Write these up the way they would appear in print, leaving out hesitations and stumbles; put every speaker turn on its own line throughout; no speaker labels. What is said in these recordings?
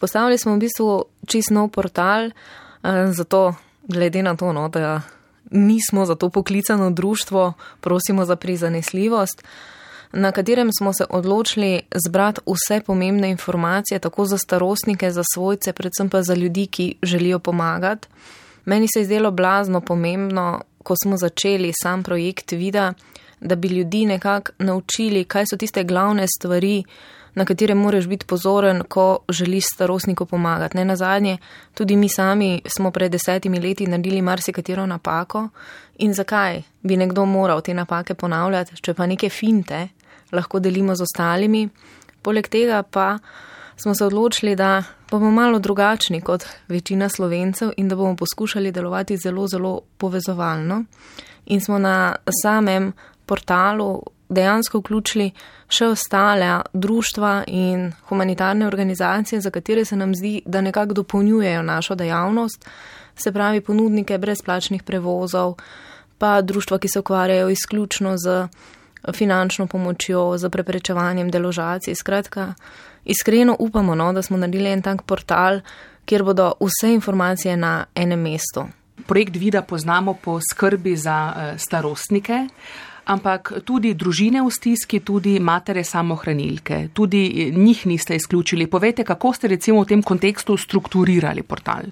Postavili smo v bistvu čisto nov portal, zato glede na to, da nismo za to poklicano društvo, prosimo za prizanesljivost, na katerem smo se odločili zbrati vse pomembne informacije, tako za starostnike, za svojce, predvsem pa za ljudi, ki želijo pomagati. Meni se je zdelo blazno pomembno, ko smo začeli sam projekt Vida, da bi ljudi nekako naučili, kaj so tiste glavne stvari, na katere moraš biti pozoren, ko želiš starostniku pomagati. Ne nazadnje, tudi mi sami smo pred 10 leti naredili marsikatero napako in zakaj bi nekdo moral te napake ponavljati, če pa neke finte lahko delimo z ostalimi. Poleg tega pa smo se odločili, da bomo malo drugačni kot večina Slovencev in da bomo poskušali delovati zelo, zelo povezovalno. In smo na samem portalu dejansko vključili še ostale društva in humanitarne organizacije, za katere se nam zdi, da nekako dopolnjujejo našo dejavnost, se pravi ponudnike brezplačnih prevozov, pa društva, ki se ukvarjajo izključno z finančno pomočjo, z preprečevanjem deložacij. Skratka, iskreno upamo, da smo naredili en tak portal, kjer bodo vse informacije na enem mestu.
Projekt Vida poznamo po skrbi za starostnike, ampak tudi družine v stiski, tudi matere samohranilke, tudi njih niste izključili. Povejte, kako ste recimo v tem kontekstu strukturirali portal?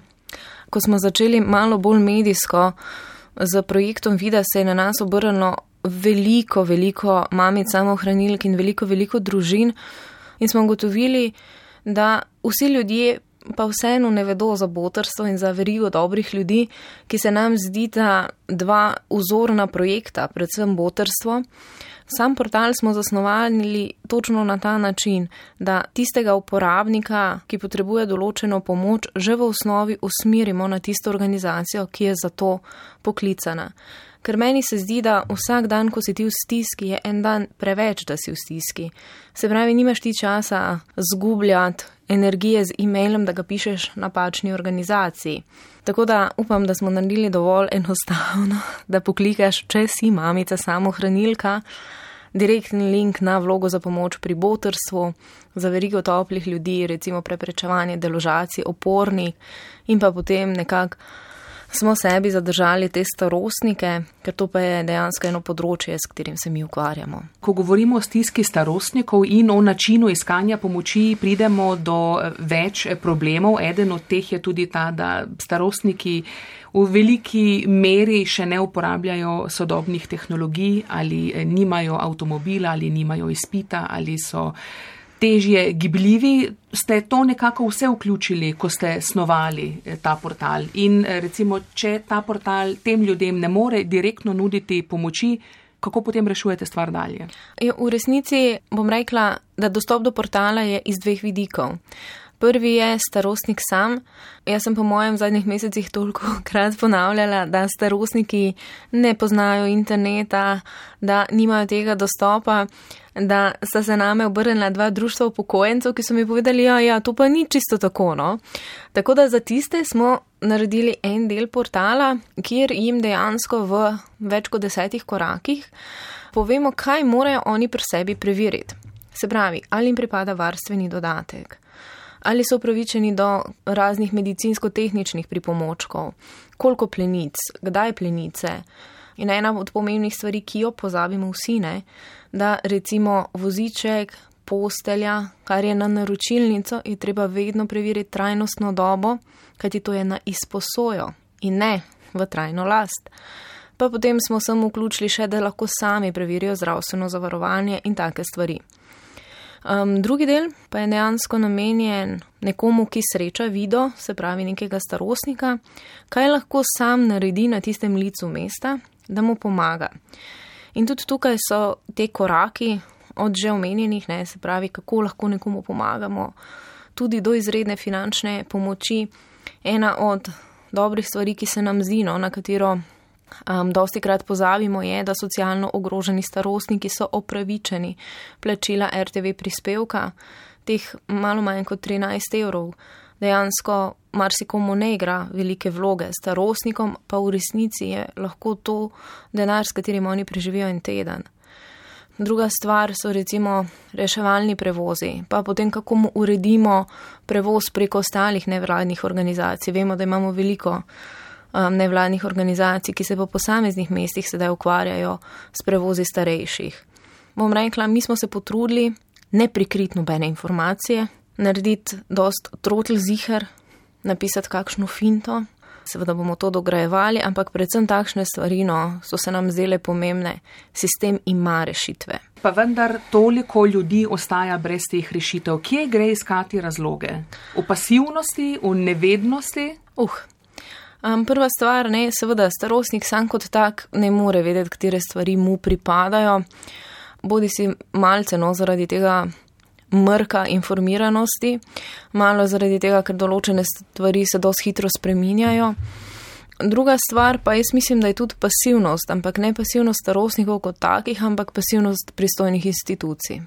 Ko smo začeli malo bolj medijsko z projektom Vida, se je na nas obrnilo veliko mamic samohranilk in veliko družin in smo ugotovili, da vsi ljudje pa vseeno ne vedo za botrstvo in za verigo dobrih ljudi, ki se nam zdi ta dva vzorna projekta, predvsem botrstvo. Sam portal smo zasnovali točno na ta način, da tistega uporabnika, ki potrebuje določeno pomoč, že v osnovi usmerimo na tisto organizacijo, ki je za to poklicana. Ker meni se zdi, da vsak dan, ko si ti v stiski, je en dan preveč, da si v stiski. Se pravi, nimaš ti časa zgubljati energije z e-mailom, da ga pišeš napačni organizaciji. Tako da upam, da smo naredili dovolj enostavno, da poklikaš, če si mamica samohranilka, direktni link na vlogo za pomoč pri botrstvu, za verigo toplih ljudi, recimo preprečevanje deložacij, opornik in pa potem nekako smo sebi zadržali te starostnike, ker to pa je dejansko eno področje, s katerim se mi ukvarjamo.
Ko govorimo o stiski starostnikov in o načinu iskanja pomoči, pridemo do več problemov. Eden od teh je tudi ta, da starostniki v veliki meri še ne uporabljajo sodobnih tehnologij ali nimajo avtomobila ali nimajo izpita ali so težje gibljivi. Ste to nekako vse vključili, ko ste snovali ta portal? In recimo, če ta portal tem ljudem ne more direktno nuditi pomoči, kako potem rešujete stvar dalje?
V resnici bom rekla, da dostop do portala je iz dveh vidikov. Prvi je starostnik sam. Jaz sem po mojem v zadnjih mesecih toliko krat ponavljala, da starostniki ne poznajo interneta, da nimajo tega dostopa, da sta se name obrnila dva društva upokojencev, ki so mi povedali, ja, to pa ni čisto tako, no. Tako da za tiste smo naredili en del portala, kjer jim dejansko v več kot 10 korakih povemo, kaj morajo oni pri sebi preveriti. Se pravi, ali jim pripada varstveni dodatek, ali so upravičeni do raznih medicinsko-tehničnih pripomočkov, koliko plenic, kdaj plenice. In ena od pomembnih stvari, ki jo pozabimo vsi, da recimo voziček, postelja, kar je na naročilnico, je treba vedno preveriti trajnostno dobo, kajti to je na izposojo in ne v trajno last. Pa potem smo sem vključili še, da lahko sami preverijo zdravstveno zavarovanje in take stvari. Drugi del pa je dejansko namenjen nekomu, ki sreča Vido, se pravi nekega starostnika, kaj lahko sam naredi na tistem licu mesta, da mu pomaga. In tudi tukaj so te koraki od že omenjenih, se pravi, kako lahko nekomu pomagamo, tudi do izredne finančne pomoči. Ena od dobrih stvari, ki se nam zdi, na katero dosti krat pozabimo, je, da socialno ogroženi starostniki so opravičeni plačila RTV prispevka, teh malo manj kot 13 evrov. Dejansko marsikomu ne igra velike vloge, starostnikom pa v resnici je lahko to denar, s katerim oni preživijo en teden. Druga stvar so recimo reševalni prevozi, pa potem kako uredimo prevoz preko ostalih nevladnih organizacij. Vemo, da imamo veliko nevladnih organizacij, ki se po posameznih mestih sedaj ukvarjajo s prevozi starejših. Bom rekla, mi smo se potrudili ne prikriti nobene informacije, narediti dost trotl ziher, napisati kakšno finto. Seveda bomo to dograjevali, ampak predvsem takšne stvari so se nam zdele pomembne. Sistem ima rešitve.
Pa vendar toliko ljudi ostaja brez teh rešitev. Kje gre iskati razloge? V pasivnosti, v nevednosti?
Prva stvar, seveda starostnik sam kot tak ne more vedeti, katere stvari mu pripadajo. Bodi si malce zaradi tega mrka informiranosti, malo zaradi tega, ker določene stvari se dosti hitro spreminjajo. Druga stvar pa jaz mislim, da je tudi pasivnost, ampak ne pasivnost starostnikov kot takih, ampak pasivnost pristojnih institucij.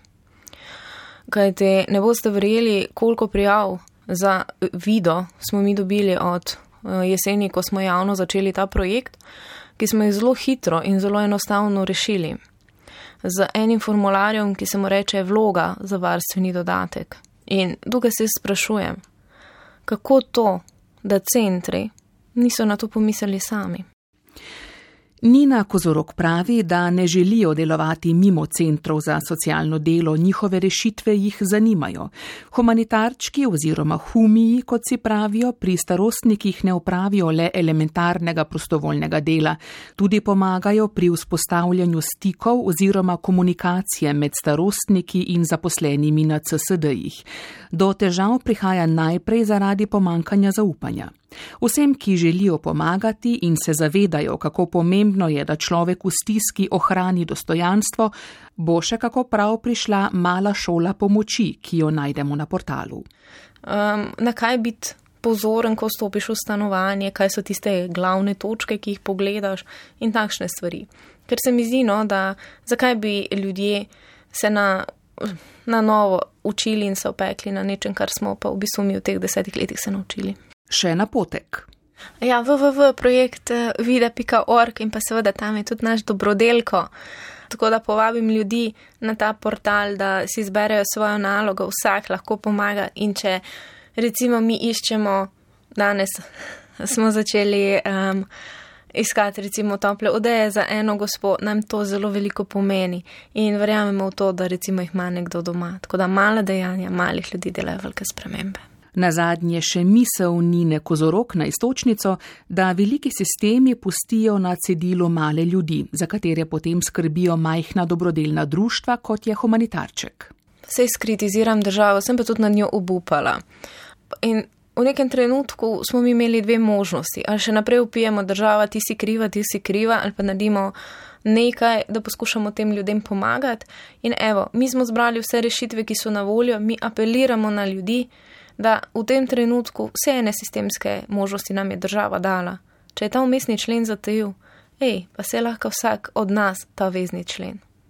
Kajte ne boste verjeli, koliko prijav za video smo mi dobili od jeseni, ko smo javno začeli ta projekt, ki smo jih zelo hitro in zelo enostavno rešili. Z enim formularjem, ki se mu reče vloga za varstveni dodatek. In tukaj se sprašujem, kako to, da centri niso na to pomislili sami.
Nina Kozorog pravi, da ne želijo delovati mimo centrov za socialno delo, njihove rešitve jih zanimajo. Humanitarčki oziroma humiji, kot si pravijo, pri starostnikih ne opravijo le elementarnega prostovoljnega dela, tudi pomagajo pri vzpostavljanju stikov oziroma komunikacije med starostniki in zaposlenimi na CSD-jih. Do težav prihaja najprej zaradi pomankanja zaupanja. Vsem, ki želijo pomagati in se zavedajo, kako pomembno je, da človek v stiski ohrani dostojanstvo, bo še kako prav prišla mala šola pomoči, ki jo najdemo na portalu.
Na kaj biti pozoren, ko stopiš v stanovanje, kaj so tiste glavne točke, ki jih pogledaš in takšne stvari. Ker se mi zdi, da zakaj bi ljudje se na novo učili in se opekli na nečem, kar smo pa v bistvu mi v teh 10 letih se naučili.
Še napotek.
Ja, www.projekt vida.org in pa seveda tam je tudi naš dobrodelko. Tako da povabim ljudi na ta portal, da si izberejo svojo nalogo, vsak lahko pomaga in če recimo mi iščemo, danes smo začeli iskati recimo tople odeje za eno gospo, nam to zelo veliko pomeni in verjamemo v to, da recimo jih ima nekdo doma. Tako da mala dejanja malih ljudi delajo velike spremembe.
Nazadnje še misel Nine Kozorog na iztočnico, da veliki sistemi pustijo na cedilu male ljudi, za katere potem skrbijo majhna dobrodelna društva, kot je humanitarček.
Sej skritiziram državo, sem pa tudi na njo obupala. In v nekem trenutku smo mi imeli dve možnosti. Ali še naprej vpijemo država, ti si kriva, ali pa naredimo nekaj, da poskušamo tem ljudem pomagati. In evo, mi smo zbrali vse rešitve, ki so na voljo, mi apeliramo na ljudi, da v tem trenutku vse ene sistemske možnosti nam je država dala. Če je ta vmesni člen zatajil, pa se lahko vsak od nas ta vezni člen.